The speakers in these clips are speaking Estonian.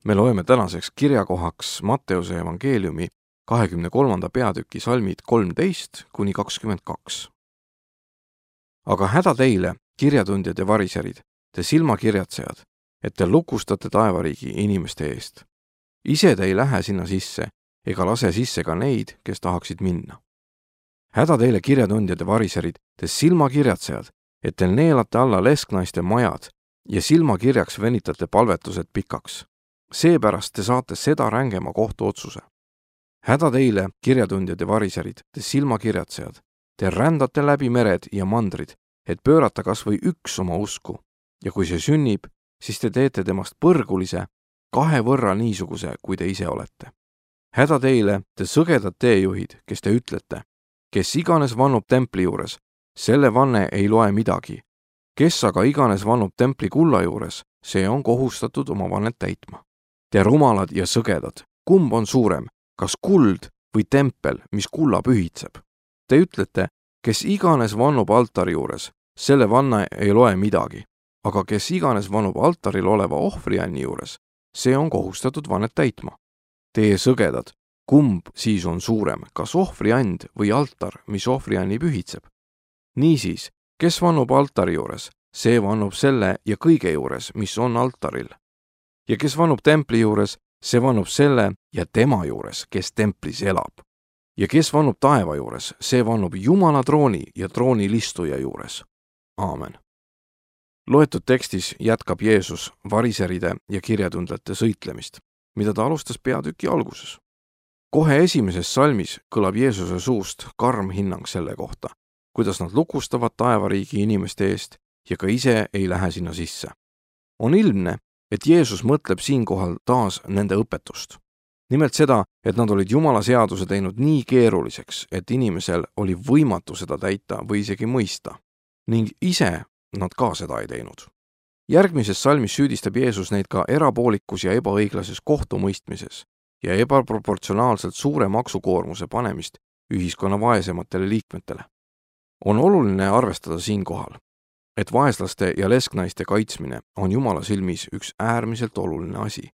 Me loeme tänaseks kirjakohaks Matteuse evangeeliumi 23. peatüki salmid 13–22. Aga häda teile, kirjatundjad ja variserid, te silmakirjatsejad, et te lukustate taevariigi inimeste eest. Ise te ei lähe sinna sisse, ega lase sisse ka neid, kes tahaksid minna. Häda teile, kirjatundjad ja variserid, te silmakirjatsejad, et te neelate alla lesknaiste majad ja silmakirjaks venitate palvetused pikaks. Seepärast te saate seda rängema kohtuotsuse. Häda teile, kirjatundjad ja variserid, te silmakirjatsejad, te rändate läbi mered ja mandrid, et pöörata kas või üks oma usku, ja kui see sünnib, siis te teete temast põrgulise, 2 võrra niisuguse, kui te ise olete. Häda teile, te sõgedad teejuhid, kes te ütlete, kes iganes vannub templi juures, selle vanne ei loe midagi. Kes aga iganes vannub templi kulla juures, see on kohustatud oma vannet täitma. Te rumalad ja sõgedad, kumb on suurem, kas kuld või tempel, mis kulla pühitseb? Te ütlete, kes iganes vannub altari juures, selle vanne ei loe midagi, aga kes iganes vannub altaril oleva ohvrianni juures, see on kohustatud vannet täitma. Teie sõgedad, kumb siis on suurem, kas ohvriand või altar, mis ohvrianni pühitseb? Niisiis, kes vannub altari juures, see vannub selle ja kõige juures, mis on altaril. Ja kes vannub templi juures, see vannub selle ja tema juures, kes templis elab. Ja kes vannub taeva juures, see vannub Jumala trooni ja troonilistuja juures. Aamen. Loetud tekstis jätkab Jeesus variseride ja kirjatundjate sõitlemist, mida ta alustas peatüki alguses. Kohe esimeses salmis kõlab Jeesuse suust karm hinnang selle kohta, kuidas nad lukustavad taevariigi inimeste eest ja ka ise ei lähe sinna sisse. On ilmne, et Jeesus mõtleb siinkohal taas nende õpetust. Nimelt seda, et nad olid Jumala seaduse teinud nii keeruliseks, et inimesel oli võimatu seda täita või isegi mõista, ning ise nad ka seda ei teinud. Järgmises salmis süüdistab Jeesus neid ka erapoolikus ja ebaõiglases kohtumõistmises ja ebaproportsionaalselt suure maksukoormuse panemist ühiskonna vaesematele liikmetele. On oluline arvestada siinkohal, et vaeslaste ja lesknaiste kaitsmine on Jumala silmis üks äärmiselt oluline asi,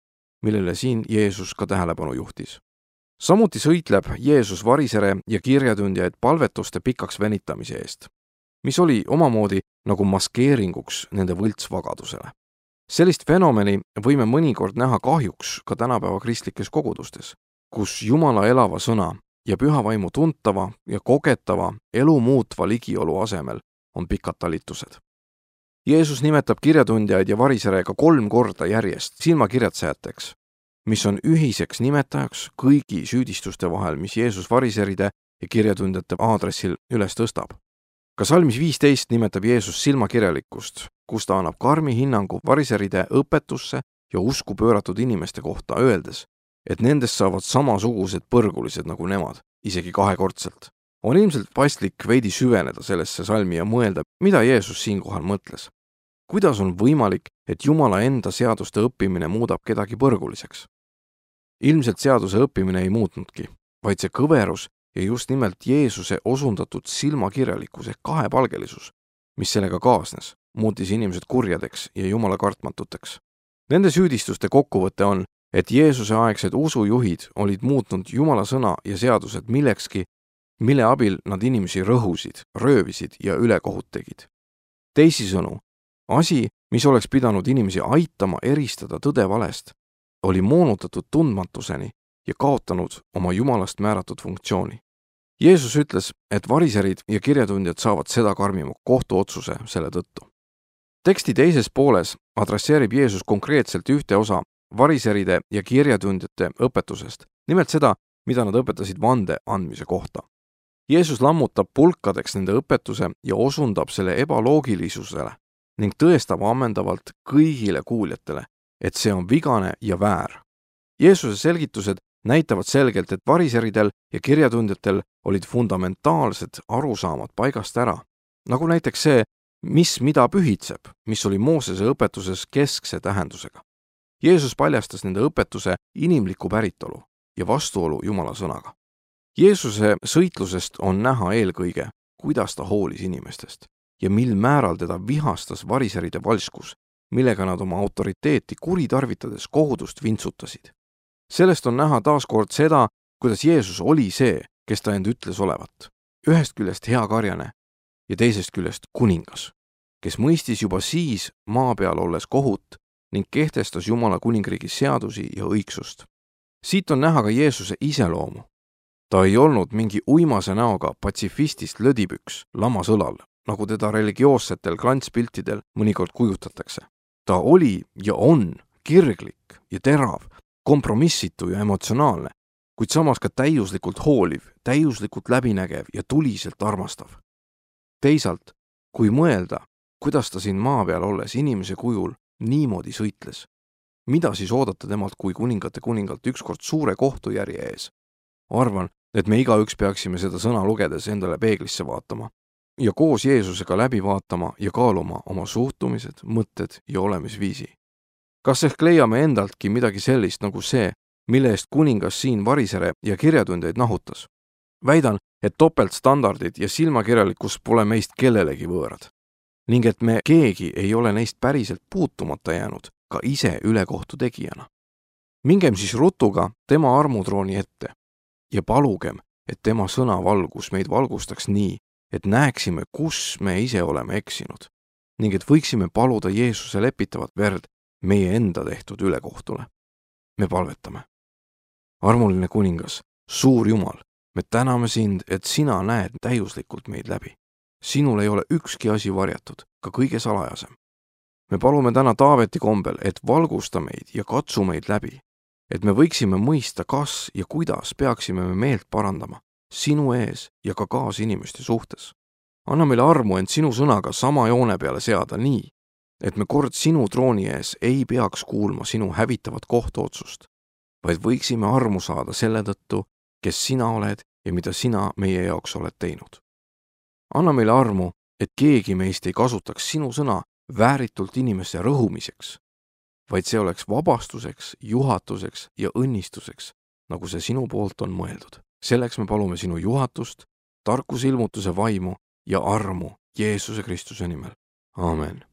millele siin Jeesus ka tähelepanu juhtis. Samuti sõitleb Jeesus varisere ja kirjatundjaid palvetuste pikaks venitamise eest, mis oli omamoodi nagu maskeeringuks nende võltsvagadusele. Sellist fenomeni võime mõnikord näha kahjuks ka tänapäeva kristlikes kogudustes, kus Jumala elava sõna ja püha vaimu tuntava ja kogetava elu muutva ligiolu asemel on pikad talitused. Jeesus nimetab kirjatundjaid ja varisere ka 3 korda järjest silmakirjatsejateks, mis on ühiseks nimetajaks kõigi süüdistuste vahel, mis Jeesus variseride ja kirjatundjate aadressil üles tõstab. Ka salmis 15 nimetab Jeesus silmakirjalikkust, kus ta annab karmi hinnangu variseride õpetusse ja usku pööratud inimeste kohta, öeldes, et nendest saavad samasugused põrgulised nagu nemad, isegi 2-kordselt. On ilmselt paslik veidi süveneda sellesse salmi ja mõelda, mida Jeesus siinkohal mõtles. Kuidas on võimalik, et Jumala enda seaduste õppimine muudab kedagi põrguliseks? Ilmselt seaduse õppimine ei muutnudki, vaid see kõverus ja just nimelt Jeesuse osundatud silmakirjalikkus ehk kahepalgelisus, mis sellega kaasnes, muutis inimesed kurjadeks ja Jumala kartmatuteks. Nende süüdistuste kokkuvõte on, et Jeesuse aegsed usujuhid olid muutnud Jumala sõna ja seadused millekski, mille abil nad inimesi rõhusid, röövisid ja ülekohut tegid. Teisisõnu, asi, mis oleks pidanud inimesi aitama eristada tõde valest, oli moonutatud tundmatuseni ja kaotanud oma Jumalast määratud funktsiooni. Jeesus ütles, et variserid ja kirjatundjad saavad seda karmima kohtuotsuse selle tõttu. Teksti teises pooles adresseerib Jeesus konkreetselt ühte osa variseride ja kirjatundjate õpetusest, nimelt seda, mida nad õpetasid vande andmise kohta. Jeesus lammutab pulkadeks nende õpetuse ja osundab selle ebaloogilisusele ning tõestab ammendavalt kõigile kuuljatele, et see on vigane ja väär. Jeesuse selgitused näitavad selgelt, et variseridel ja kirjatundjatel olid fundamentaalsed arusaamad paigast ära, nagu näiteks see, mis mida pühitseb, mis oli Moosese õpetuses keskse tähendusega. Jeesus paljastas nende õpetuse inimlikku päritolu ja vastuolu Jumala sõnaga. Jeesuse sõitlusest on näha eelkõige, kuidas ta hoolis inimestest ja mil määral teda vihastas variseride valskus millega nad oma autoriteeti kuritarvitades kogudust vintsutasid. Sellest on näha taaskord seda, kuidas Jeesus oli see, kes ta end ütles olevat. Ühest küljest hea karjane ja teisest küljest kuningas, kes mõistis juba siis maa peal olles kohut ning kehtestas Jumala kuningriigi seadusi ja õigsust. Siit on näha ka Jeesuse iseloomu. Ta ei olnud mingi uimase näoga patsifistist lödipüks lamas õlal, nagu teda religioossetel klantspiltidel mõnikord kujutatakse. Ta oli ja on kirglik ja terav, kompromissitu ja emotsionaalne, kuid samas ka täiuslikult hooliv, täiuslikult läbinägev ja tuliselt armastav. Teisalt, kui mõelda, kuidas ta siin maa peal olles inimese kujul niimoodi sõitles, mida siis oodata temalt kui kuningate kuningalt ükskord suure kohtujärje ees? Arvan, et me igaüks peaksime seda sõna lugedes endale peeglisse vaatama ja koos Jeesusega läbi vaatama ja kaaluma oma suhtumised, mõtted ja olemisviisi. Kas ehk leiame endaltki midagi sellist nagu see, mille eest kuningas siin varisere ja kirjatundjaid nahutas? Väidan, et topeltstandardid ja silmakirjalikkus pole meist kellelegi võõrad ning et me keegi ei ole neist päriselt puutumata jäänud ka ise ülekohtu tegijana. Mingem siis rutuga tema armutrooni ette ja palugem, et tema sõna valgus meid valgustaks nii, et näeksime, kus me ise oleme eksinud ning et võiksime paluda Jeesuse lepitavat verd meie enda tehtud ülekohtule. Me palvetame. Armuline kuningas, suur Jumal, me täname sind, et sina näed täiuslikult meid läbi. Sinul ei ole ükski asi varjatud, ka kõige salajasem. Me palume täna Taaveti kombel, et valgusta meid ja katsu meid läbi, et me võiksime mõista, kas ja kuidas peaksime me meelt parandama sinu ees ja ka kaasinimeste suhtes. Anna meile armu end sinu sõnaga sama joone peale seada nii, et me kord sinu trooni ees ei peaks kuulma sinu hävitavat kohtuotsust, vaid võiksime armu saada selle tõttu, kes sina oled ja mida sina meie jaoks oled teinud. Anna meile armu, et keegi meist ei kasutaks sinu sõna vääritult inimeste rõhumiseks, vaid see oleks vabastuseks, juhatuseks ja õnnistuseks, nagu see sinu poolt on mõeldud. Selleks me palume sinu juhatust, tarkusilmutuse vaimu ja armu Jeesuse Kristuse nimel. Aamen.